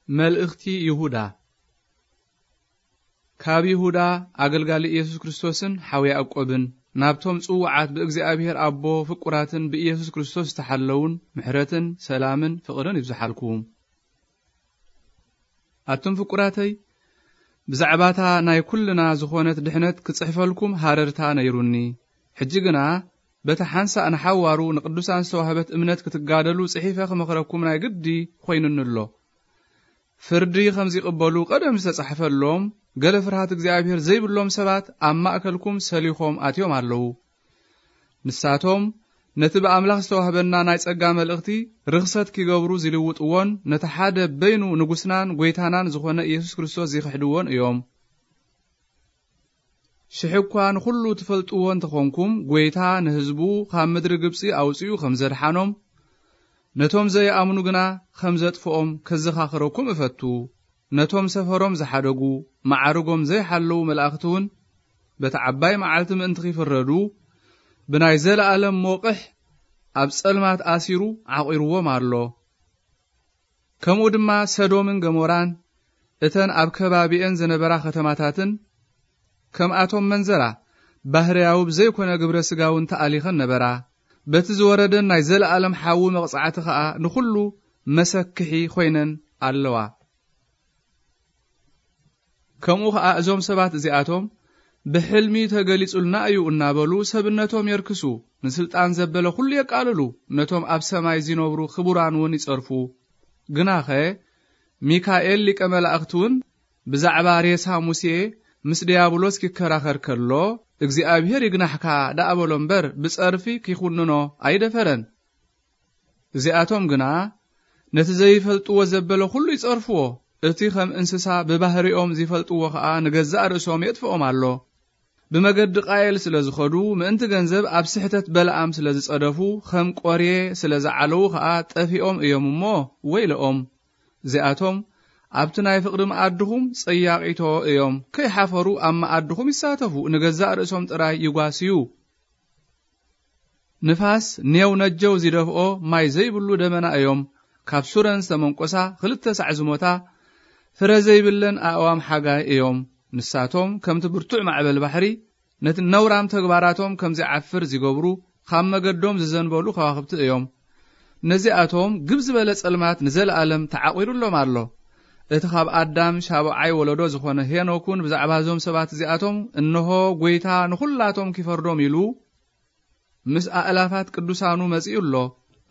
መልእኽቲ ይሁዳ። ካብ ይሁዳ ኣገልጋሊ ኢየሱስ ክርስቶስን ሓው ያዕቆብን፣ ናብቶም ጽዉዓት ብእግዚኣብሔር ኣቦ ፍቁራትን ብኢየሱስ ክርስቶስ ዝተሓለውን፣ ምሕረትን ሰላምን ፍቕርን ይብዝሓልኩም። ኣቱም ፍቁራተይ፣ ብዛዕባታ ናይ ኩልና ዝኾነት ድሕነት ክጽሕፈልኩም ሃረርታ ነይሩኒ። ሕጂ ግና በታ ሓንሳእ ንሓዋሩ ንቅዱሳን ዝተዋህበት እምነት ክትጋደሉ ጽሒፈ ክመኽረኩም ናይ ግዲ ኾይኑኒ ኣሎ። ፍርዲ ከም ዚቕበሉ ቀደም ዝተጻሕፈሎም፣ ገለ ፍርሃት እግዚኣብሔር ዘይብሎም ሰባት ኣብ ማእከልኩም ሰሊኾም ኣትዮም ኣለዉ። ንሳቶም ነቲ ብኣምላኽ ዝተዋህበና ናይ ጸጋ መልእኽቲ ርኽሰት ኪገብሩ ዚልውጥዎን፣ ነቲ ሓደ በይኑ ንጉስናን ጐይታናን ዝኾነ ኢየሱስ ክርስቶስ ዚኽሕድዎን እዮም። ሽሕ እኳ ንኹሉ ትፈልጥዎ እንተኾንኩም፣ ጐይታ ንህዝቡ ካብ ምድሪ ግብጺ ኣውጺኡ ከም ዘድሓኖም፣ ነቶም ዘይኣምኑ ግና ከም ዘጥፍኦም ከዘኻኽረኩም እፈቱ። ነቶም ሰፈሮም ዝሓደጉ፣ መዓርጎም ዘይሓለዉ መላእኽቲ እውን፣ በቲ ዓባይ መዓልቲ ምእንቲ ኺፍረዱ፣ ብናይ ዘለኣለም ሞቕሕ ኣብ ጸልማት ኣሲሩ ዓቒርዎም ኣሎ። ከምኡ ድማ ሰዶምን ገሞራን፣ እተን ኣብ ከባቢኤን ዝነበራ ከተማታትን፣ ከምኣቶም መንዘራ፣ ባህርያዊ ብዘይኮነ ግብረ ስጋውን ተኣሊኸን ነበራ። በቲ ዝወረደን ናይ ዘለኣለም ሓዊ መቕጻዕቲ ኸኣ ንኹሉ መሰክሒ ኾይነን ኣለዋ። ከምኡ ኸኣ እዞም ሰባት እዚኣቶም፣ ብሕልሚ ተገሊጹልና እዩ እናበሉ ሰብነቶም የርክሱ፣ ንስልጣን ዘበለ ኹሉ የቃልሉ፣ ነቶም ኣብ ሰማይ ዚነብሩ ክቡራን እውን ይጸርፉ። ግናኸ ሚካኤል ሊቀ መላእኽቲ እውን ብዛዕባ ሬሳ ሙሴ ምስ ድያብሎስ ኪከራኸር ከሎ፣ እግዚኣብሔር ይግናሕካ ደኣ በሎ እምበር፣ ብጸርፊ ኪኹንኖ ኣይደፈረን። እዚኣቶም ግና ነቲ ዘይፈልጥዎ ዘበለ ኹሉ ይጸርፍዎ። እቲ ኸም እንስሳ ብባህሪኦም ዚፈልጥዎ ኸኣ ንገዛእ ርእሶም የጥፍኦም ኣሎ። ብመገዲ ቃየል ስለ ዝኸዱ፣ ምእንቲ ገንዘብ ኣብ ስሕተት በለዓም ስለ ዝጸደፉ፣ ኸም ቆርየ ስለ ዝዓለዉ ኸኣ ጠፊኦም እዮም እሞ ወይለኦም። እዚኣቶም ኣብቲ ናይ ፍቕሪ መኣድኹም ጸያቒቶ እዮም። ከይሓፈሩ ኣብ መኣድኹም ይሳተፉ፣ ንገዛእ ርእሶም ጥራይ ይጓስዩ። ንፋስ ኔው ነጀው ዚደፍኦ ማይ ዘይብሉ ደመና እዮም። ካብ ሱረን ዝተመንቆሳ ኽልተ ሳዕ ዝሞታ ፍረ ዘይብለን ኣእዋም ሓጋይ እዮም። ንሳቶም ከምቲ ብርቱዕ ማዕበል ባሕሪ ነቲ ነውራም ተግባራቶም ከም ዚዓፍር ዚገብሩ፣ ካብ መገዶም ዝዘንበሉ ከዋኽብቲ እዮም። ነዚኣቶም ግብ ዝበለ ጸልማት ንዘለኣለም ተዓቒሩሎም ኣሎ። እቲ ኻብ ኣዳም ሻብዓይ ወለዶ ዝኾነ ሄኖክ እውን ብዛዕባ እዞም ሰባት እዚኣቶም፣ "እንሆ፣ ጐይታ ንኹላቶም ኪፈርዶም" ኢሉ ምስ ኣእላፋት ቅዱሳኑ መጺኡ ኣሎ።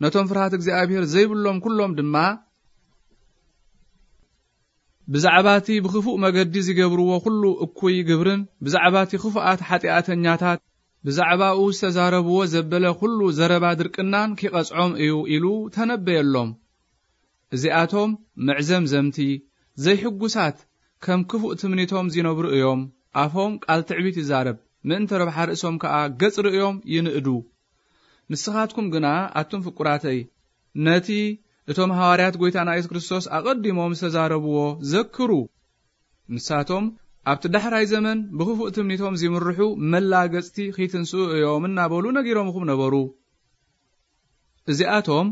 ነቶም ፍርሃት እግዚኣብሔር ዘይብሎም ኩሎም ድማ፣ ብዛዕባ እቲ ብኽፉእ መገዲ ዚገብርዎ ኹሉ እኩይ ግብርን፣ ብዛዕባ እቲ ኽፉኣት ሓጢኣተኛታት ብዛዕባኡ ዝተዛረብዎ ዘበለ ኹሉ ዘረባ ድርቅናን ኪቐጽዖም እዩ ኢሉ ተነበየሎም። እዚኣቶም መዕዘምዘምቲ፣ ዘይሕጉሳት፣ ከም ክፉእ ትምኒቶም ዚነብሩ እዮም። ኣፎም ቃል ትዕቢት ይዛረብ፣ ምእንቲ ረብሓ ርእሶም ከኣ ገጽ ርእዮም ይንእዱ። ንስኻትኩም ግና፣ ኣቱም ፍቁራተይ፣ ነቲ እቶም ሃዋርያት ጐይታና የሱስ ክርስቶስ ኣቐዲሞም ዝተዛረብዎ ዘክሩ። ንሳቶም፣ ኣብቲ ዳሕራይ ዘመን ብኽፉእ ትምኒቶም ዚምርሑ መላገጽቲ ኺትንስኡ እዮም እናበሉ ነጊሮምኹም ነበሩ። እዚኣቶም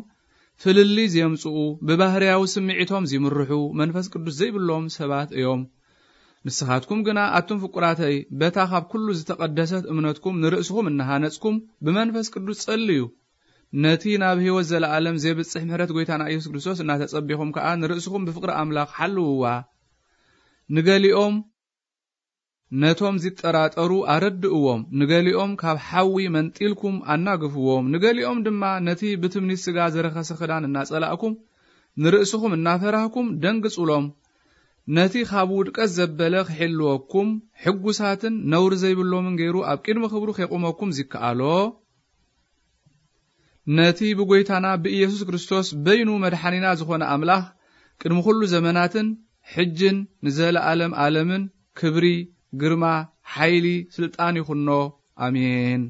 ፍልልይ ዜምጽኡ፣ ብባህርያዊ ስምዒቶም ዚምርሑ፣ መንፈስ ቅዱስ ዘይብሎም ሰባት እዮም። ንስኻትኩም ግና፣ ኣቱም ፍቁራተይ፣ በታ ኻብ ኩሉ ዝተቐደሰት እምነትኩም ንርእስኹም እናሃነጽኩም፣ ብመንፈስ ቅዱስ ጸልዩ። ነቲ ናብ ህይወት ዘለኣለም ዜብጽሕ ምሕረት ጐይታና ኢየሱስ ክርስቶስ እናተጸቢኹም ከኣ፣ ንርእስኹም ብፍቕሪ ኣምላኽ ሓልውዋ። ንገሊኦም ነቶም ዚጠራጠሩ ኣረድእዎም፣ ንገሊኦም ካብ ሓዊ መንጢልኩም ኣናግፍዎም፣ ንገሊኦም ድማ ነቲ ብትምኒት ስጋ ዝረኸሰ ክዳን እናጸላእኩም፣ ንርእስኹም እናፈራህኩም ደንግጹሎም። ነቲ ካብ ውድቀት ዘበለ ክሕልወኩም፣ ሕጉሳትን ነውሪ ዘይብሎምን ገይሩ ኣብ ቅድሚ ክብሩ ኼቁመኩም ዚከኣሎ፣ ነቲ ብጐይታና ብኢየሱስ ክርስቶስ በይኑ መድሓኒና ዝኾነ ኣምላኽ፣ ቅድሚ ኹሉ ዘመናትን ሕጅን ንዘለኣለም ኣለምን ክብሪ፣ ግርማ፣ ሓይሊ፣ ስልጣን ይኹኖ። ኣሜን።